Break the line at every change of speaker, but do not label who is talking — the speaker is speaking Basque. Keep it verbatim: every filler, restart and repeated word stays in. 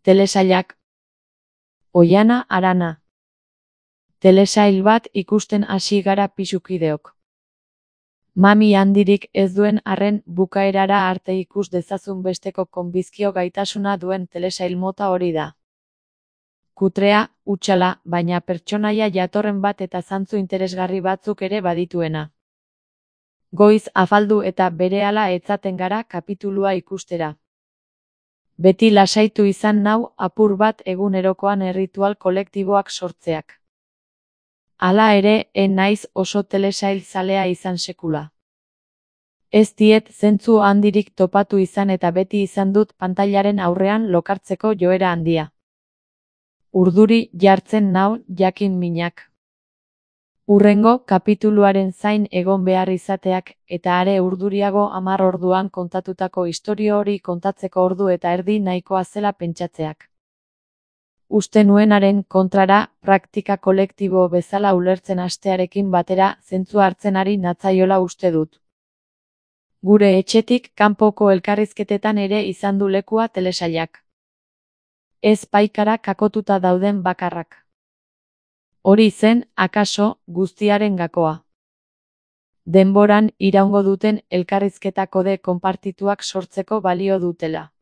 Telesailak. Oihana Arana. Telesail bat ikusten hasi gara pisukideok. Mami handirik ez duen arren bukaerara arte ikus dezazun besteko konbizkio gaitasuna duen telesail mota hori da. Kutrea, hutsala, baina pertsonaia jatorren bat eta zantzu interesgarri batzuk ere badituena. Goiz afaldu eta berehala etzaten gara kapitulua ikustera. Beti lasaitu izan nau apur bat egunerokoan erritual kolektiboak sortzeak. Hala ere, en naiz oso telesail zalea izan sekula. Ez diet zentzu handirik topatu izan eta beti izan dut pantailaren aurrean lokartzeko joera handia. Urduri jartzen nau jakin minak. Hurrengo kapituluaren zain egon behar izateak eta are urduriago hamar orduan kontatutako istorio hori kontatzeko ordu eta erdi nahikoa zela pentsatzeak. Uste nuenaren kontrara, praktika kolektibo bezala ulertzen hastearekin batera zentzua hartzen ari natzaiola uste dut. Gure etxetik kanpoko elkarrizketetan ere izan du lekua telesailak. Ez paikara kakotuta dauden bakarrak. Hori zen, akaso, guztiaren gakoa. Denboran iraungo duten elkarrizketa kode konpartituak sortzeko balio dutela.